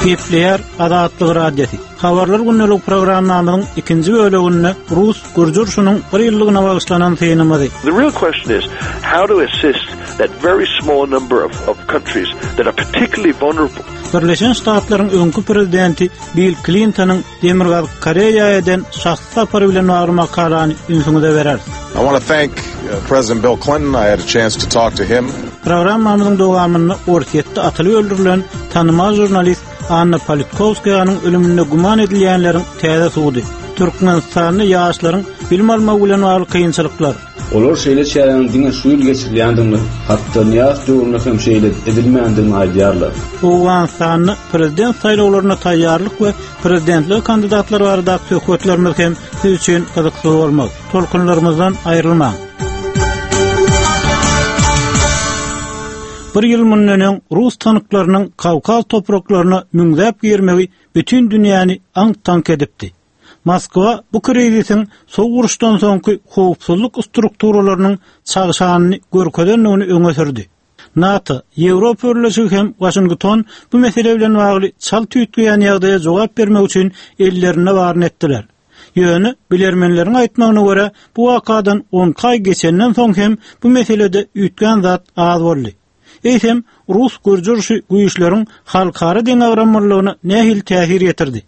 Gepleýär Azatlyk Radiosy. Habarlar gündelik programmamyzyň ikinji böleginde rus gürji urşunyň bir ýyllygyna bagyşlanan synymyzy. The real question is how to assist that very small number of, of countries that are particularly vulnerable. Birleşen Ştatlaryň öňki prezidenti Bill Klintonyň Demirgazyk Koreýa eden şahsy sapary bilen bagly makalany ünsüňize bereris. I want to thank uh, President Bill Clinton. I had a chance to talk to him. Programmamyzyň dowamynda Orsýetde atylyp öldürilen tanymal žurnalist Anna Politkowskaýanyň ölüminde güman edilýänleriň täze sudy. Türkmenistanda ýaşlaryň bilim almagy bilen bagly kynçylyklar. Olar şeýle çäräniň diňe şu ýyl geçirilýändigini, hatda Nyýazow döwründe hem şeýle edilmändigini aýdýarlar. Owganystanda prezident saýlawlaryna taýýarlyk we prezidentlige kandidatlar baradaky söhbetlerimiz hem siz üçin gyzykly bolmaz. Tolkunlarymyzdan aýrylmaň. Bir ýyl mundan öň rus tanklarynyň Kawkaz topraklaryna müňzäp girmegi bütin dünýäni aňk-taňk edipdi. Moskwa bu krizisiň sowuk uruşdan soňky howpsuzlyk strukturalarynyň çagşanyny görkezendigini öňe sürdi. NATO, Ýewropa Birleşigi hem Waşington bu mesele bilen bagly çalt üýtgeýän ýagdaýa jogap bermek üçin ellerinde baryny etdiler. Ýöne, bilermenleriň aýtmagyna görä, bu wakadan on iki aý geçenden soň hem bu meselede üýtgän zat az boldy. Eýsem, rus-gürji urşy güýçleriň halkara deňagramlylygyna nähili täsir ýetirdi?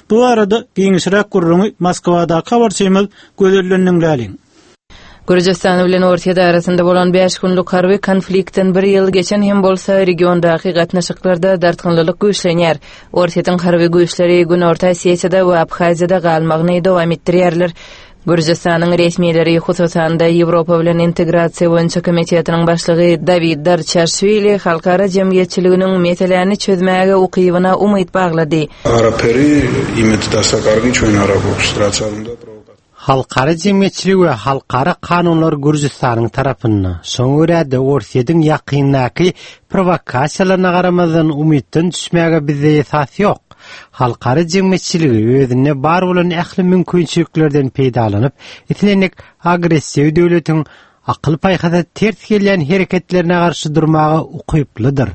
Bu barada giňişräk gürrüňi Moskwadaky habarçymyz Gözelden diňläliň. Gürjüstan bilen Orsýet arasynda bolan bäş günlük harby konfliktden bir ýyl geçen hem bolsa, regiondaky gatnaşyklarda dartgynlylyk güýçlenýär. Orsýetiň harby güýçleri Günorta Osetiýada we Abhaziýada galmagyny dowam etdirýärler. Gürjüstanyň resmileri, hususan-da, Ýewropa bilen integrasiýa boýunça komitetiniň başlygy Dawid Darçaşwili halkara jemgyýetçiliginiň meseläni çözmäge ukybyna umyt baglady. Halkara jemgyýetçiligi we halkara kanunlar Gürjüstanyň tarapynda. Şoňa görä-de, Orsýetiň ýakyndaky prowokasiýalaryna garamazdan umytdan düşmäge bizde esas ýok. Halkara jemgyýetçiligi özünde bar bolan ähli mümkinçiliklerden peýdalanyp, islendik agressiw döwletiň akyl-paýhasa ters gelýän hereketlerine garşy durmaga ukyplydyr.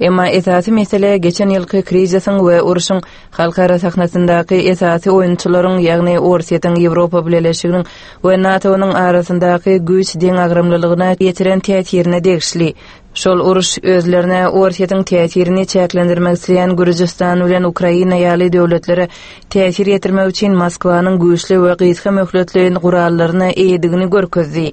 Emma esasy mesele geçen ýylky krizisiň we urşuň halkara sahnasyndaky esasy oýunçylaryň, ýagny Orsýetiň, Ýewropa Bileleşiginiň we NATO-nyň arasyndaky güýç deňagramlylygyna ýetiren täsirine degişli. Şol uruş özlerine Orsýetiň täsirini çäklendirmek isleýän Gürjüstan bilen Ukraina ýaly döwletlere täsir ýetirmek üçin Moskwanyň güýçli we gysga möhletleýin gurallaryna eýedigini görkezdi.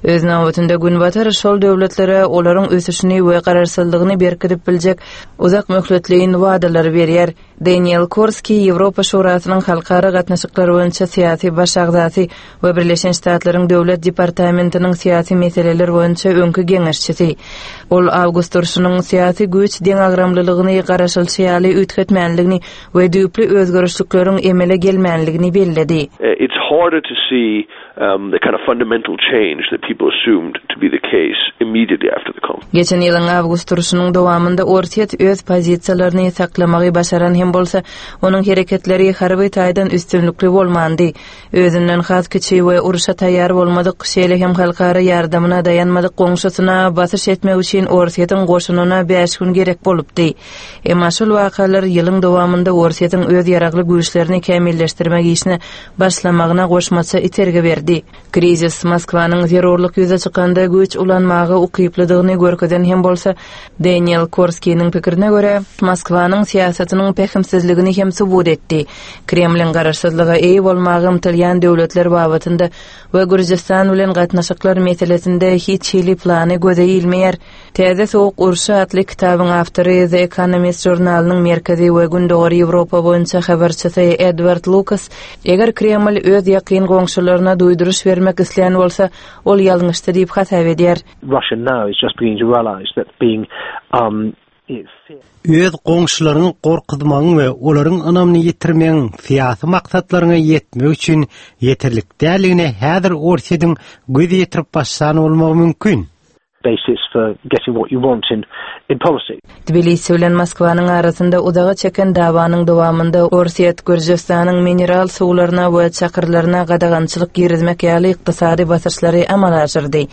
Öz nobatynda Günbatar şol döwletlere olaryň ösüşini we garaşsyzlygyny berkidip biljek uzak möhletleýin wadalary berýär. Daniel Korski Ýewropa Şurasynyň halkara gatnaşyklar boýunça syýasy baş agzasy we Birleşen Ştatlaryň Döwlet departamentiniň syýasy meseleler boýunça öňki geňeşçisi. Ol awgust urşunyň syýasy güýç deňagramlylygyny garaşylşy ýaly üýtgetmänligini we düýpli özgerişlikleriň emele gelmänligini belledi. It's harder to see the kind of fundamental change that people assumed to be the case immediately after the conflict. Geçen ýylyň awgust urşunyň dowamynda Orsýet öz pozisiýalaryny saklamagy başaran hem bolsa, onuň hereketleri harby taýdan üstünlikli bolmandy. Özünden has kiçi we urşa taýýar bolmadyk, şeýle hem halkara ýardamyna daýanmadyk goňşusyna basyş etmek üçin Orsýetiň goşunyna bäş gün gerek bolupdy. Emma şol wakalar ýylyň dowamynda Orsýetiň öz ýaragly güýçlerini kämilleşdirmek işine başlamagyna goşmaça itergi berdi. Krizis Moskwanyň zerurlyk ýüze çykanda güýç ulanmaga ukyplydygyny görkezen hem bolsa, Daniel Korskiniň pikirine görä, Moskwanyň syýasatynyň pähimsizligini hem subut etdi. Kremliň garaşsyzlyga eýe bolmaga ymtylýan döwletler babatynda we Gürjüstan bilen gatnaşyklar meselesinde hiç hili plany göze ilmeýär. Täze sowuk urşy atly kitabyň awtory, The Economist žurnalynyň Merkezi we Gündogar Ýewropa boýunça habarçysy Edward Lukas, eger Kreml öz ýakyn goňşularyna duýduryş bermek islän bolsa, ol ýalňyşdy diýip hasap edýär. Russia now is just beginning to realise that being um, Öz goňşularyňy gorkuzmagyň we olaryň ynamyny ýitirmegiň syýasy maksatlaryňa ýetmek üçin ýeterlik däldigine häzir Orsýetiň göz ýetirip başlan bolmagy mümkin. Basis for getting what you want in in policy. Tbilisi bilen Moskwanyň arasynda uzaga çeken dawanyň dowamynda Orsýet Gürjüstanyň mineral suwlaryna we çakyrlaryna gadagançylyk girizmek ýaly ykdysady basyşlary amala aşyrdy.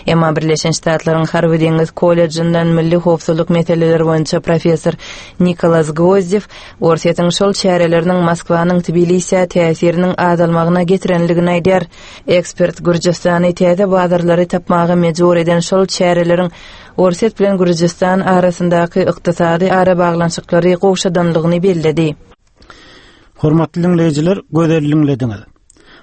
Emma Birleşen Ştatlaryň Harby-deňiz kollejinden milli howpsuzlyk meseleleri boýunça professor Nikolas Gwozdew Orsýetiň şol çäreleriniň Moskwanyň Tbilisä täsiriniň azalmagyna getirenligini aýdýar. Ekspert Gürjüstany täze bazarlary tapmaga mejbur eden şol çäreleriň Orsýet bilen Gürjüstan arasyndaky ykdysady arabaglanyşyklary gowşadanlygyny belledi. Hormatly diňleýjiler, gözel diňlediňiz.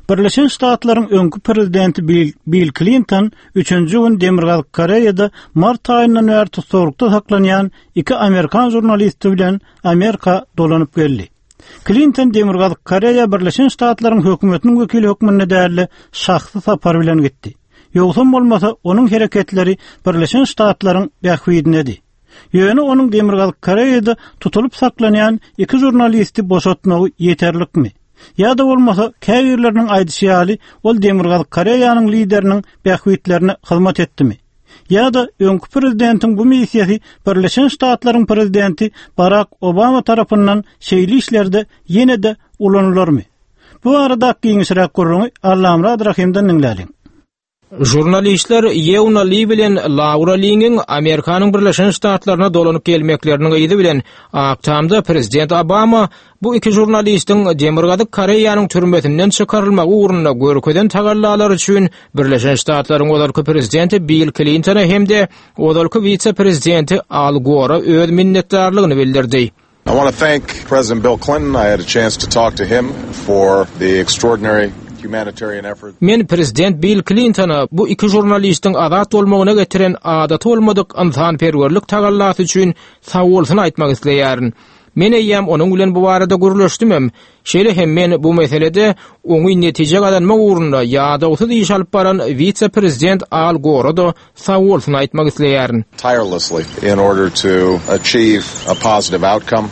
Birleşen Ştatlaryň öňki prezidenti Bill, Bill Klinton üçünji gün Demirgazyk Koreýada mart aýyndan bäri tussaglykda saklanýan iki amerikan žurnalisti bilen Amerika dolanyp geldi. Klinton Demirgazyk Koreýa Birleşen Ştatlaryň hökümetiniň wekili hökmünde däl-de, şahsy sapar bilen gitdi. Ýogsam bolmasa, onuň hereketleri Birleşen Ştatlaryň bähbidinedi. Ýöne onuň Demirgazyk Koreýada tutulyp saklanýan iki žurnalisti boşatmagy ýeterlikmi? Ýa-da bolmasa, käbirleriniň aýdyşy ýaly, ol Demirgazyk Koreýanyň lideriniň bähbitlerine hyzmat etdimi? Ýa-da öňki prezidentiň bu missiýasy Birleşen Ştatlaryň prezidenti Barak Obama tarapyndan şeýle işlerde ýene-de ulanylarmy? Bu barada giňişräk gürrüňi Allamyrat Rahymdan diňläliň. Žurnalistler Ýeuna Li bilen Laura Liňiň Amerikanyň Birleşen Ştatlaryna dolanyp gelmekleriniň yzy bilen Ak Tamda prezident Obama bu iki žurnalistiň Demirgazyk Koreýanyň türmesinden çykarylmagy ugrunda görkezen tagallalary üçin Birleşen Ştatlaryň ozalky prezidenti Bill Klintona hem-de ozalky wise-prezidenti Al Gora öz minnetdarlygyny bildirdi. I want to thank President Bill Clinton. I had a chance to talk to him for the extraordinary humanitarian effort. Men prezident Bill Klintona bu iki žurnalistiň azat bolmagyna getiren adaty bolmadyk ynsanperwerlik tagallasy üçin sagbolsun aýtmak isleýärin. Men eýýäm onuň bilen bu barada gürleşdimem. Şeýle hem men bu meselede oňyn netije gazanmak ugrunda ýadawsyz iş alyp baran wise-prezident Al Gora-da sagbolsun aýtmak isleýärin. Tirelessly in order to achieve a positive outcome.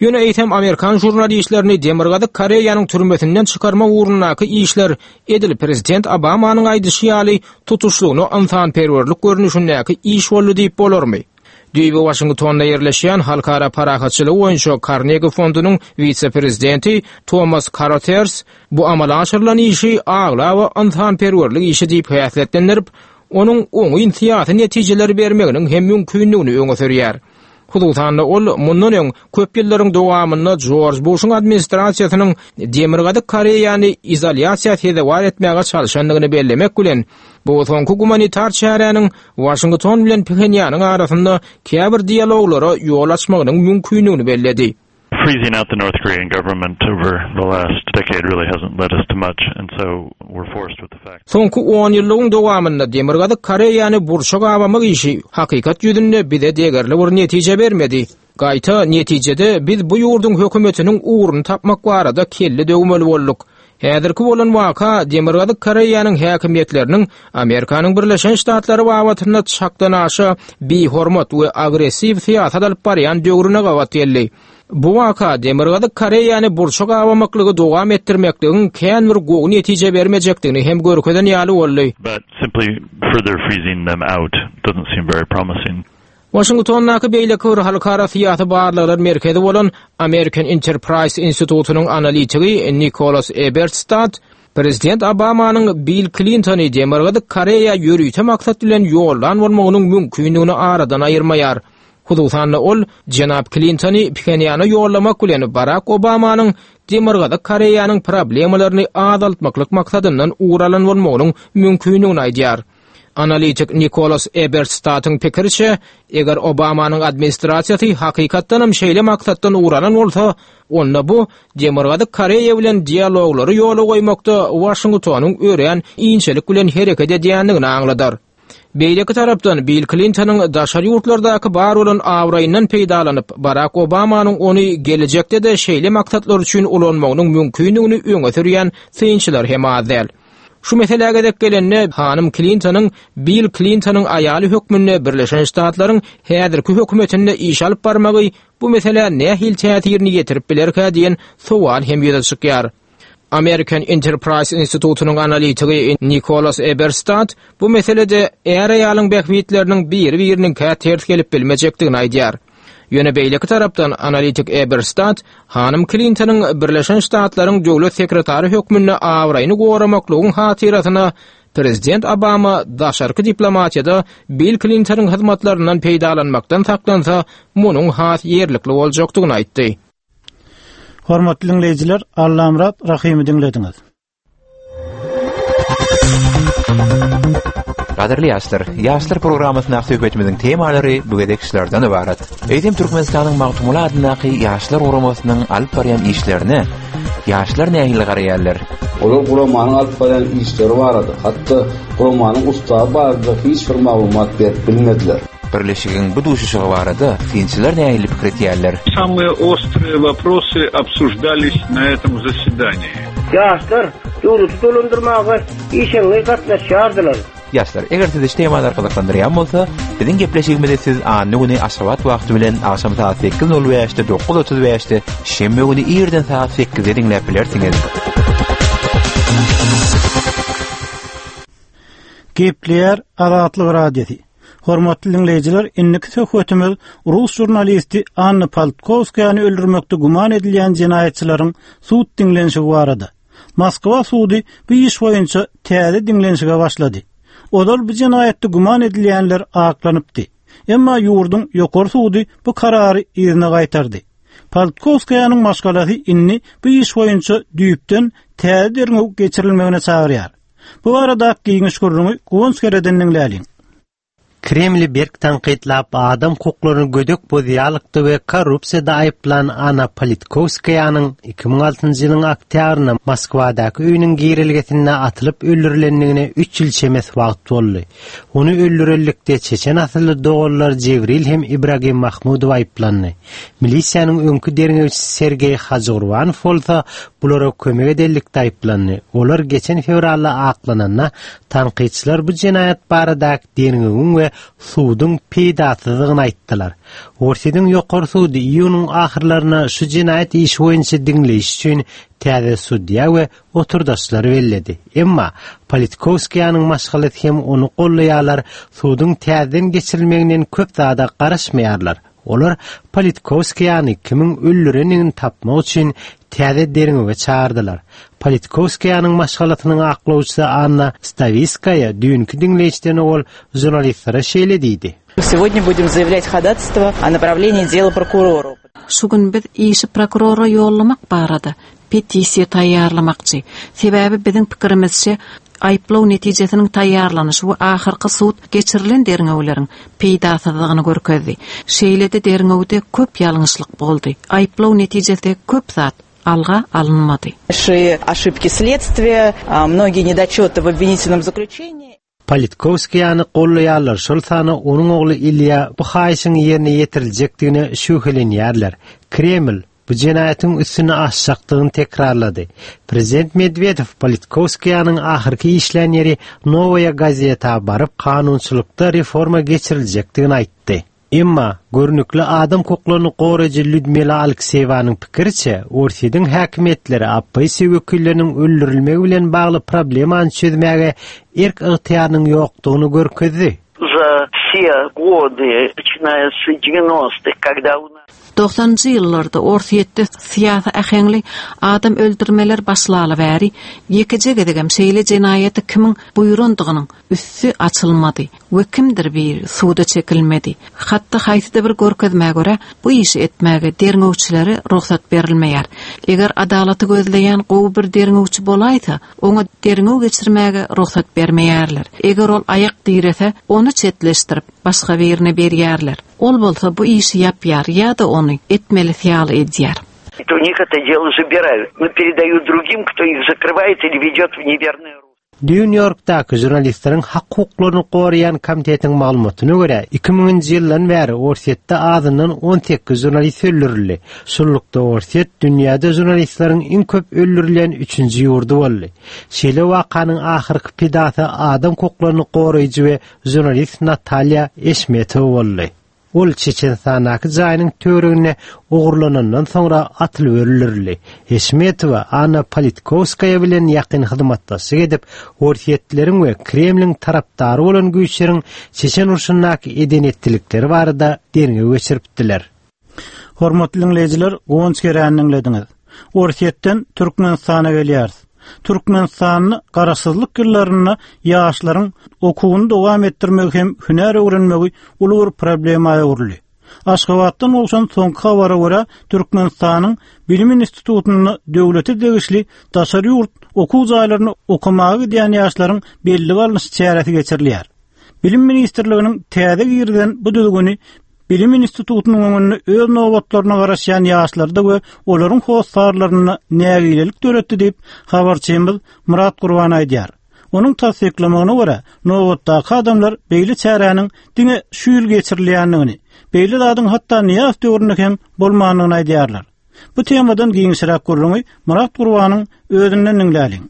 Ýöne eýsem amerikan žurnalistlerini Demirgazyk Koreýanyň türmesinden çykarmak ugrundaky işler edil prezident Obamanyň aýdyşy ýaly tutuşlygyna ynsanperwerlik görnüşindäki iş boldy diýip bolarmy? Düýbi Waşingtonda ýerleşýän Halkara parahatçylygy boýunça Karnegi fondunyň wise-prezidenti Tomas Karoters bu amala aşyrylan işi aglaba ynsanperwerlik işi diýip häsiýetlendirip, onuň oňyn syýasy netijeleri bermeginiň hem mümkindigini öňe sürýär. Hususan-da, ol mundan öň köp ýyllaryň dowamynda Jorj Buşuň administrasiýasynyň Demirgazyk Koreýany izolýasiýa sezewar etmäge çalşandygyny bellemek bilen, bu soňky gumanitar çäräniň Waşington bilen Phenýanyň arasynda käbir dialoglara ýol açmagynyň mümkindigini belledi. Freezing out the North Korean government over the last decade really hasn't led us to much and so we're forced with the fact. Soňky onýyllygyň dowamynda Demirgazyk Koreýany burça gabamak işi hakykat ýüzünde bize degerli bir netije bermedi. Gaýta, netijede biz bu ýurduň hökümetiniň ugruny tapmak barada kelle döwmeli bolduk. Häzirki bolan waka Demirgazyk Koreýanyň häkimiýetleriniň Amerikanyň Birleşen Ştatlary babatynda çakdanaşa bihormat we agressiw syýasat alyp barýan döwrüne gabat geldi. Bu waka Demirgazyk Koreýany burça gabamaklygy dowam etdirmekligiň kän bir gowy netije bermejekdigini hem görkezen ýaly boldy. But simply further freezing them out doesn't seem very promising. Waşingtondaky beýleki bir halkara syýasy barlaglar merkezi bolan American Enterprise institutynyň analitigi Nikolas Eberstadt prezident Obamanyň Bill Klintony Demirgazyk Koreýa ýörite maksat bilen ýollan bolmagynyň mümkindigini aradan aýyrmaýar. Hususan-da ol jenap Klintony Phenýana ýollamak bilen Barak Obamanyň Demirgazyk Koreýanyň problemalaryny azaltmaklyk maksadyndan ugur alan bolmagynyň mümkindigini aýdýar. Analitik Nikolas Ebertstatyň pikiriçe, eger Obamanyň administrasiýasy hakykatdanam şeýle maksatdan ugur alan bolsa, onda bu Demirgazyk Koreýa bilen dialoglary ýola goýmakda Waşingtonyň örän inçelik bilen hereket edýändigini aňladar. Beýleki tarapdan, Bill Klintonyň daşary ýurtlardaky bar bolan abraýyndan peýdalanyp, Barak Obamanyň ony gelejekde-de şeýle maksatlar üçin ulanmagynyň mümkindigini öňe sürýän synçylar hem az däl. Şu meselä gezek gelende, hanym Klintonyň Bill Klintonyň aýaly hökmünde Birleşen Ştatlaryň häzirki hökümetinde iş alyp barmagy bu meselä nähili täsirini ýetirip bilerkä diýen sowal hem ýüze çykýar. American Enterprise institutynyň analitigi Nikolas Eberstadt bu meselede är-aýalyň bähbitleriniň biri-biriniňkä ters gelip bilmejekdigini aýdýar. Ýöne beýleki tarapdan analitik Eberstadt hanym Klintonyň Birleşen Ştatlaryň döwlet sekretary hökmünde abraýyny goramaklygyň hatyrasyna prezident Obama daşarky diplomatiýada Bill Klintonyň hyzmatlaryndan peýdalanmakdan saklansa, munuň has ýerlikli boljakdygyny aýtdy. Hormatly diňleýjiler, Allamyrat Rahymy diňlediňiz. Gadyrly ýaşlar, Ýaşlar programmasyndaky söhbetimiziň temalary bu gezek şulardan ybarat. Eýsem Türkmenistanyň Magtymguly adyndaky Ýaşlar guramasynyň alyp barýan işlerine ýaşlar nähili garaýarlar? Olar guramanyň alyp barýan işleri barada, hatda guramanyň ustawy barada hiç bir maglumat berip bilmediler. Birleşigiň bu duşuşygy barada synçylar nähili pikir etýärler? Samые ostrые вопросы obsуждались na etom zasedaniýi. Ýaşlar döwleti dolandyrmaga işeňňir gatnaşýardylar. Ýaşlar, eger sizi şu temalar gyzyklandyrýan bolsa, biziň gepleşigimizi siz anna güni Aşgabat wagty bilen agşam sagat sekiz nol bäşde, 9:35-de, şenbe güni irden sagat sekizde diňläp bilersiňiz. Gepleýär Azatlyk Radiosy. Hormatly diňleýjiler, indiki söhbetimiz rus žurnalisti Anna Politkowskaýany öldürmekde güman edilýän jenaýatçylaryň sud diňlenişigi barada. Moskwa sudy bu iş boýunça täze diňlenişige başlady. Ozal bu jenaýatda güman edilýänler aklanypdy. Emma ýurduň ýokary sudy bu karary yzyna gaýtardy. Politkowskaýanyň maşgalasy indi bu iş boýunça düýpden täze derňew geçirilmegine çagyrýar. Bu barada giňiş gürrüňi Guwanç Gereden diňläliň. Kremli berk tankytlap, adam hukuklaryny gödek bozýarlykda we korrupsiýada aýyplan Anna Politkowskaýanyň 2006-njy ýylyň oktýabrynda Moskwadaky öýüniň girelgesinde atylyp öldürilendigine üç ýyl çemesi wagt boldy. Ony öldürenlikde çeçen asylly doganlar Jebril hem Ibragim Mahmudow aýyplandy. Milisiýanyň öňki derňewçisi Sergeý Hajygurbanow bolsa bulara kömek edenlikde aýyplandy. Olar geçen fewralda aklananda, tankytçylar bu jenaýat baradaky derňewiň we suduň peýdasyzdygyny aýtdylar. Orsýetiň Ýokary sudy iýunyň ahyrlarynda şu jenaýat işi boýunça diňleýiş üçin täze sudýa we oturdaşlary belledi. Emma Politkowskaýanyň maşgalasy hem ony goldaýarlar, suduň täzeden geçirilmeginden köp zada garaşmaýarlar. Olar Politkowskaýany kimiň öldürendigini tapmak üçin täze derňewe çagyrdylar. Politkowskaýanyň maşgalasynyň aklawçysy Anna Stawiskaýa düýnki diňleýişden owal žurnalistlere şeýle diýdi. Сегодня будем заявлять ходатайство о направлении дела прокурору. Şu gün biz işi prokurora ýollamak barada petisiýa taýýarlamakçy. Sebäbi biziň pikirimizçe, aýyplaw netijesiniň taýýarlanyşy we ahyrky sud geçirilen derňewleriň peýdasyzlygyny görkezdi. Şeýle-de derňewde köp ýalňyşlyk boldy. Aýyplaw netijesinde köp zat alga alynmady. Большие ошибки следствия, многие недочеты в обвинительном заключении. Politkowskaýany gollaýarlar, şol sanda onuň ogly Ilýa bu haýyşyň ýerine ýetiriljekdigine şübhelenýärler. Kreml bu jenaýatyň üstüni açjakdygyny tekrarlady. Prezident Medwedew Politkowskaýanyň ahyrky işlän ýeri Nowaýa Gazeta baryp, kanunçylykda reforma geçiriljekdigini aýtdy. Emma, görnükli adam hukuklaryny goraýjy Lýudmila Alekseýewanyň pikiriçe, Orsýetiň häkimiýetleri oppozisiýa wekilleriniň öldürilmegi bilen bagly problemany çözmäge erk-ygtyýarynyň ýokdugyny görkezdi. Za wse gody, naçinaýa s dewenostych, kogda u nas. Dogsanynjy ýyllarda Orsýetde syýasy äheňli adam öldürmeler başlaly bäri, ýekeje gezegem şeýle jenaýaty kimiň buýrandygynyň üsti açylmady we kimdir biri suda çekilmedi. Hatda haýsyda bir görkezmä görä, bu işi etmäge derňewçilere rugsat berilmeýär. Eger adalaty gözleýän gowy bir derňewçi bolaýsa, oňa derňew geçirmäge rugsat bermeýärler. Eger ol aýak direse, ony çetleşdirip, başga birine berýärler. Ol bolsa bu işi ýapýar ýa-da ony etmelisi ýaly edýär. U nich eto delo zabirают, no peredают drugim, kto ih zakrywaet ili wedet w newernoe ruslo. Nýu-Ýorkdaky žurnalistleriň hak-hukuklaryny goraýan komitetiň maglumatyna görä, 2000-nji ýyldan bäri Orsýetde azyndan 18 žurnalist öldürildi. Şunlukda Orsýet dünýäde žurnalistleriň iň köp öldürilýän üçünji ýurdy boldy. Şeýle wakanyň ahyrky pidasy adam hukuklaryny goraýjy we žurnalist Natalýa Eşmetowa boldy. Ol Çeçenistandaky jaýynyň töwereginde ogurlanandan soňra atylyp öldürildi. Eşmetowa Anna Politkowskaýa bilen ýakyn hyzmatdaşlyk edip, orsýetlileriň we Kremliň tarapdary bolan güýçleriň Çeçen urşundaky eden-etdilikleri barada derňew geçiripdiler. Hormatly diňleýjiler, Guwanç Geräni diňlediňiz. Orsýetden Türkmenistana gelýäris. Türkmenistanda garaşsyzlyk ýyllarynda ýaşlaryň okuwyny dowam etdirmegi hem hünär öwrenmegi uly bir problema öwrüldi. Aşgabatdan gowşan soňky habara görä, Türkmenistanyň Bilim institutynda döwlete degişli daşary ýurt okuw jaýlaryna okamaga gidýän ýaşlaryň bellige alnyş çäresi geçirilýär. Bilim ministrliginiň täze girizen bu düzgüni Bilim institutynyň öňünde öz nobatlaryna garaşýan ýaşlarda we olaryň hossarlarynda nägilelik döretdi diýip, habarçymyz Myrat Gurban aýdýar. Onuň tassyklamagyna görä, nobatdaky adamlar beýle çäräniň diňe şu ýyl geçirilýändigini, beýle zadyň hatda Nyýazow döwründe hem bolmandygyny aýdýarlar. Bu temadan giňişräk gürrüňi Myrat Gurbanyň özünden diňläliň.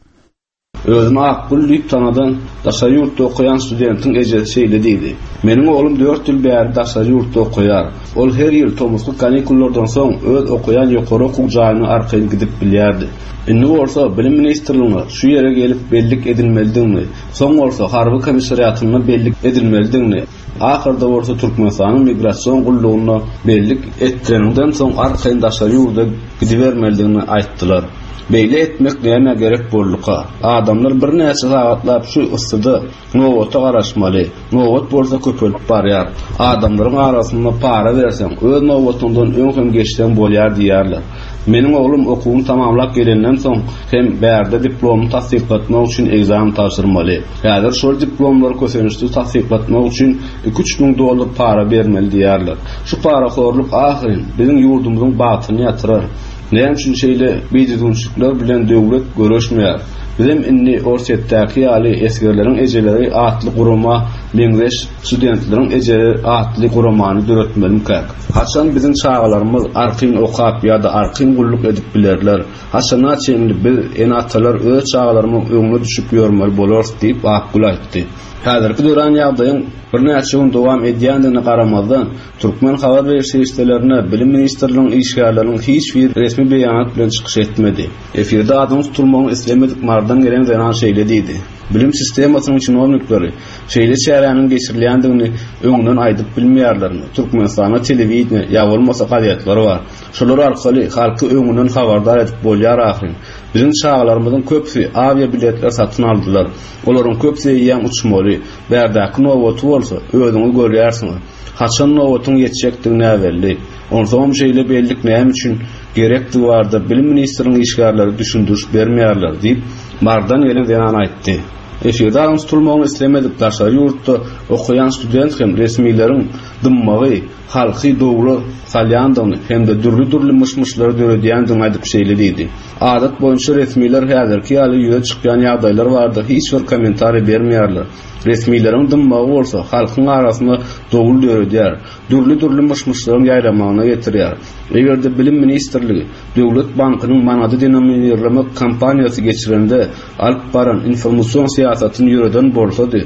Özüni Akgül diýip tanadan daşary ýurtda okaýan studentiň ejesi şeýle diýdi, Meniň oglum dört ýyl bäri daşary ýurtda okaýar. Ol her ýyl tomusky kanikullardan soň öz okaýan ýokary okuw jaýyna arkaýyn gidip bilýärdi. Indi bolsa Bilim ministrligine şu ýere gelip bellik edilmelidigini, soň bolsa harby komissariatynda bellik edilmelidigini, Ahyrda bolsa Türkmenistanyň Migrasion gullugynda bellik etdireniňden soň arkaýyn daşary ýurda gidibermelidigini aýtdylar. Beýle etmek nämä gerek bolduka? Adamlar birnäçe sagatlap şu yssyda nobata garaşmaly. Nobat bolsa köpelip barýar. Adamlaryň arasynda para berseň, öz nobatyňdan öň hem geçseň bolýar diýýärler. Meniň oglum okuwyny tamamlap gelenden soň hem bärde diplomyny tassyklatmak üçin ekzamen tabşyrmaly. Häzir şol diplomlary kösençsiz tassyklatmak üçin iki-üç müň dollar para bermeli diýýärler. Şu parahorluk ahyryn biziň ýurdumyzyň bagtyny ýatyrar. Näme üçin şeýle bidüzgünçilikler bilen döwlet göreşmeýär? Bizem indi Orsýetdäki ýaly esgerleriň ejeleri atly gurama meňzeş studentleriň ejeleri atly guramany döretmelimikäk? Haçan biziň çagalarymyz arkaýyn okap ýa-da arkaýyn gulluk edip bilerler? Haçana çenli biz, ene-atalar öz çagalarymyzyň öňüne düşüp ýörmeli bolarys diýip, Akgül aýtdy. Häzirki dörän ýagdaýyň birnäçe gün dowam edýändigine garamazdan, türkmen habar beriş serişdelerinde Bilim ministrliginiň işgärleriniň hiç biri resmi beýanat bilen çykyş etmedi. Efirde adynyň tutulmagyny islemedik Marydan gelen zenan şeýle diýdi, Bilim sistemasynyň çinownikleri şeýle çäräniň geçirilýändigini öňünden aýdyp bilmeýärlermi? Türkmenistanda telewideniýe ýa bolmasa gazetler bar. Şolar arkaly halky öňünden habardar edip bolýar ahyryn. Biziň çagalarymyzyň köpüsi awia biletler satyn aldylar. Olaryň köpüsi eýýäm uçmaly. Bärdäki nobaty bolsa, özüňiz görýärsiňiz. Haçan nobatyň ýetjekdigi näbelli. Onsoňam şeýle bellik näme üçin gerekdigi barada bilim ministriniň işgärleri düşündiriş bermeýärler diýip, Marydan gelen zenan aýtdy. Efirde adynyň tutulmagyny islemedik daşary ýurtda okaýan student hem resmileriň dymmagy, halky dowla salýandygyny hem-de dürli-dürli myş-myşlary döredýändigini aýdyp şeýle diýdi, Adat boýunça resmiler häzirki ýaly ýüze çykýan ýagdaýlar barada hiç bir kommentariý bermeýärler. Resmileriň dymmagy bolsa halkyň arasynda dowul döredýär, dürli-dürli myş-myşlaryň ýaýramagyna getirýär. Eger-de Bilim ministrligi Döwlet bankynyň manady denominirlemek kampaniýasy geçirende alyp baran informasion syýasatyny ýöreden bolsady,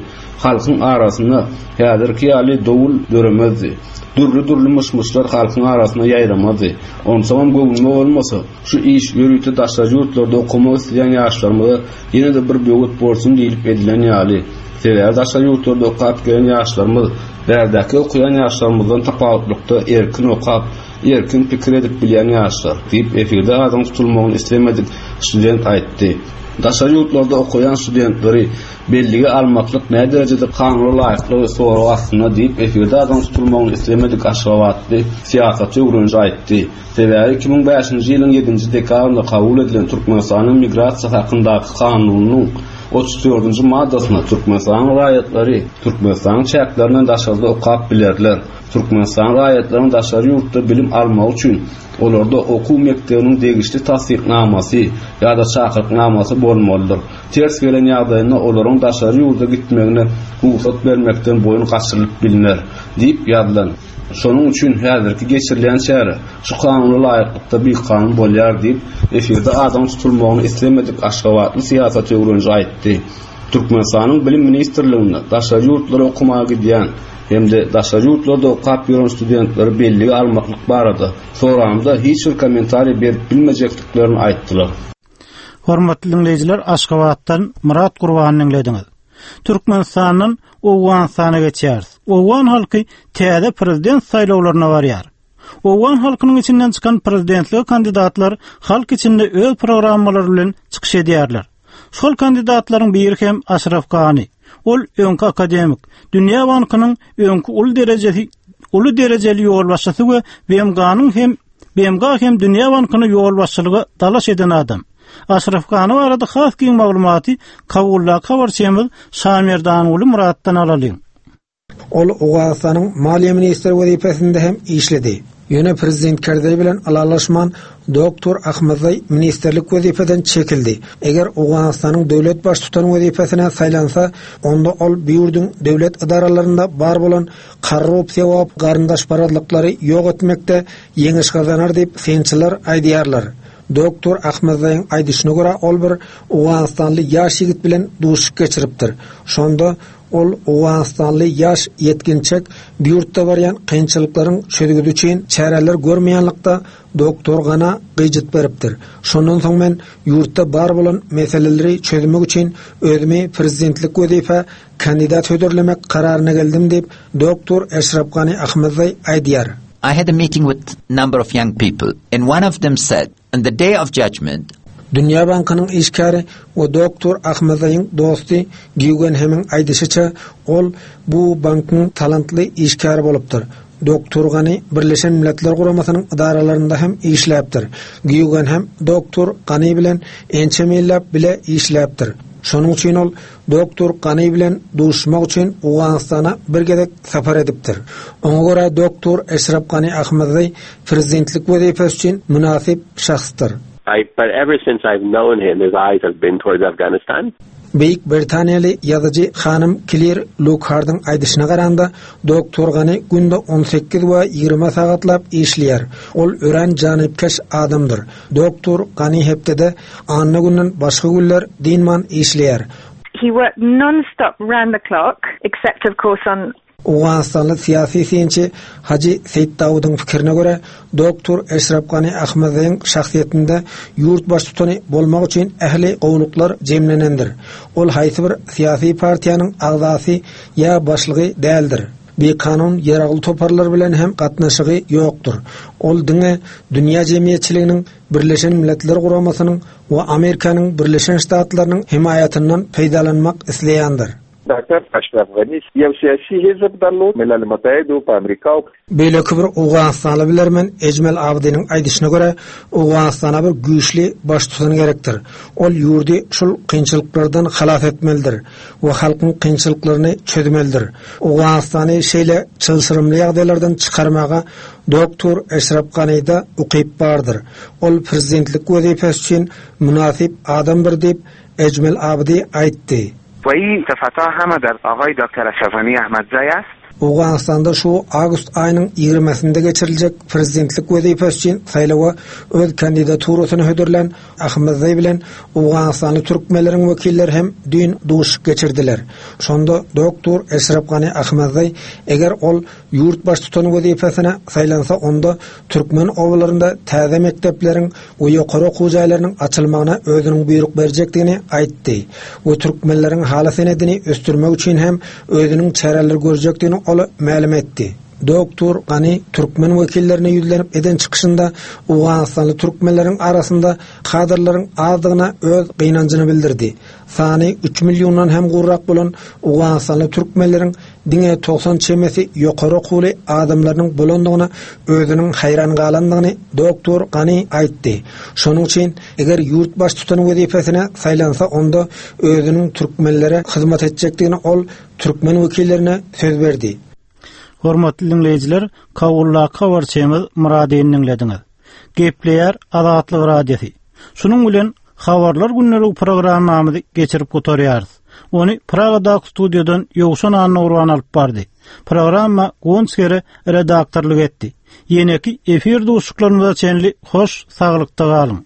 Halkyň arasynda häzirki ýaly dowul döremezdi. Dürli-dürli myş-myşlar halkyň arasynda ýaýramazdy. Onsoňam göwnüme bolmasa, şu iş ýörite daşary ýurtlarda okamak isleýän ýaşlarymyza ýene-de bir böwet bolsun diýlip edilen ýaly. Sebäbi daşary ýurtlarda okap gelen ýaşlarymyz bärdäki okaýan ýaşlarymyzdan tapawutlykda erkin okap, erkin pikir edip bilýän ýaşlar, diýip, efirde adynyň tutulmagyny islemedik student aýtdy. Daşary ýurtlarda okaýan studentleri Bellige almaklyk näderejede kanuna laýyklygy sorag astynda diýip, efirde adynyň tutulmagyny islemedik aşgabatly syýasaty öwreniji aýtdy. Sebäbi 2005-nji ýylyň ýedinji dekabrynda kabul edilen Türkmenistanyň Migrasiýa hakyndaky kanunynyň 34-nji maddasynda Türkmenistanyň raýatlary Türkmenistanyň çäklerinden daşarda okap bilerler, Türkmenistanyň raýatlarynyň daşary ýurtda bilim almagy üçin olarda okuw mekdebiniň degişli tassyknamasy ýa-da çakyryknamasy bolmalydyr. Ters gelen ýagdaýynda olaryň daşary ýurda gitmegine rugsat bermekden boýun gaçyrylyp bilner, diýip ýazylan. Şonuň üçin häzirki geçirilýän çäre şu kanuna laýyklykda bikanun bolýar diýip, efirde adynyň tutulmagyny islemedik aşgabatly syýasaty öwreniji aýtdy. Türkmenistanyň Bilim ministrliginde daşary ýurtlara okamaga gidýän. hem-de daşary ýurtlarda okap ýören studentleri bellige almaklyk barada soranymda hiç bir kommentariý berip bilmejekdiklerini aýtdylar. Hormatly diňleýjiler, Aşgabatdan Myrat Gurbany diňlediňiz. Türkmenistandan Owganystana geçýäris. Owgan halky täze prezident saýlawlaryna barýar. Owgan halkynyň içinden çykan prezidentlige kandidatlar halk içinde öz programmalary bilen çykyş edýärler. Şol kandidatlaryň biri hem Aşraf Gani. Ol öňki akademik, Dünýä bankynyň öňki uly derejesi uly derejeli ýolbaşçysy we BMG-nyň hem BMG hem Dünýä bankyna ýolbaşçylyga dalaş eden adam. Aşraf Gani barada has giň maglumaty Kabuldaky habarçymyz Şamerdanguly Myratdan alalyň. Ol Owganystanyň maliýe ministri wezipesinde hem işledi. Ýöne prezident Kerzeý bilen ylalaşman, doktor Ahmedzaý ministrlik wezipeden çekildi. Eger Owganystanyň döwlet baştutany wezipesine saýlansa, onda ol bu ýurduň döwlet edaralarynda bar bolan korrupsiýa we garyndaşparazlyklary ýok etmekde ýeňiş gazanar diýip, synçylar aýdýarlar. Doktor Ahmedzaýyň aýdyşyna görä, ol bir owganystanly ýaş ýigit bilen duşuşyk geçiripdir. Şonda Ol owganystanly ýaş ýetginçek bu ýurtda barýan kynçylyklaryň çözgüdi üçin çäreler görmeýänlikde doktor Gana gyjyt beripdir. Şondan soň men ýurtda bar bolan meseleleri çözmek üçin özümi prezidentlik wezipä kandidat hödürlemek kararyna geldim diýip, doktor Eşrap Gani Ahmedzaý aýdýar. I had a meeting with number of young people and one of them said, On the day of judgment, Dünýä bankynyň işgäri we doktor Ahmedzaýyň dosty Gýugenhemiň aýdyşyça, ol bu bankyň talantly işgäri bolupdyr. Doktor Gani Birleşen Milletler Guramasynyň edaralarynda hem işläpdir. Gýugenhem doktor Gani bilen ençeme ýyllap bile işläpdir. Şonuň üçin ol Doktor Gani bilen duşuşmak üçin Owganystana bir gezek sapar edipdir. Oňa görä doktor Eşrap Gani Ahmedzaý prezidentlik wezipesi üçin mynasyp şahsdyr. I but ever since I've known him his eyes have been towards Afghanistan. Beýik Britaniýaly ýazyjy hanym Klir Lukhardyň aýdyşyna garanda, doktor Gani günde 18 we 20 sagatlap işleýär. Ol örän janypkeş adamdyr. Doktor Gani hepdede anna günden başga günler dynman işleýär. He worked non-stop round the clock, except of course on Owganystanly syýasy synçy Hajy Seýitdawudyň pikirine görä, doktor Eşrap Gani Ahmedzaýyň şahsyýetinde ýurt baştutany bolmak üçin ähli gowulyklar jemlenendir. Ol haýsy bir syýasy partiýanyň agzasy ýa başlygy däldir. Bikanun ýaragly toparlar bilen hem gatnaşygy ýokdur. Ol diňe dünýä jemgyýetçiliginiň Birleşen Milletler Guramasynyň we Amerikanyň Birleşen Ştatlarynyň hemaýatyndan peýdalanmak isleýändir. ډاکټر اشرف غني یو سیاسي حزب درلود، ملل متحد په امریکا او. Beýleki bir owganystanly bilermen Ejmel Abdynyň aýdyşyna görä, Owganystana bir güýçli baştutan gerekdir. Ol ýurdy şul kynçylyklardan halas etmelidir we halkyň kynçylyklaryny çözmelidir. Owganystany şeýle çylşyrymly ýagdaýlardan çykarmaga doktor Eşrap Ganyda ukyp bardyr. Ol prezidentlik wezipesi üçin mynasyp adamdyr diýip, Ejmel Abdy aýtdy. و این صفتها همه در آقای دکتر اشرف غنی احمدزی است. Owganystanda şu awgust aýynyň ýigrimisinde geçiriljek prezidentlik wezipesi üçin saýlawa öz kandidaturasyny hödürlän Ahmedzaý bilen owganystanly türkmenleriň wekilleri hem düýn duşuşyk geçirdiler. Şonda doktor Eşrap Gani Ahmedzaý eger ol ýurt baştutany wezipesine saýlansa onda türkmen obalarynda täze mekdepleriň we ýokary okuw jaýlarynyň açylmagyna özüniň buýruk berjekdigini aýtdy we türkmenleriň haly senedini ösdürmek üçin hem özüniň çäreler görjekdigini ol mälim etdi. Doktor Gani türkmen wekillerine ýüzlenip eden çykyşynda owganystanly türkmenleriň arasynda kadrlaryň azdygyna öz gynanjyny bildirdi. Sany üç milliondan hem gowrak bolan owganystanly türkmenleriň diňe 90 çemesi ýokary okuwly adamlarynyň bolandygyna özüniň haýran galandygyny doktor Gani aýtdy. Şonuň üçin eger ýurt baştutany wezipesine saýlansa onda özüniň türkmenlere hyzmat etjekdigini ol türkmen wekillerine söz berdi. Hormatly diňleýjiler, Kabuldaky habarçymyz Myradyny diňlediňiz. Gepleýär Azatlyk Radiosy. Şunuň bilen Habarlar gündeligi programmamyzy geçirip gutarýarys. Ony Pragadaky studiýadan Ýowşan Annagurban alyp bardy. Programma Guwanç Gere redaktorlyk etdi. Ýeneki efir duşuşyklarymyza çenli hoş saglykda galyň.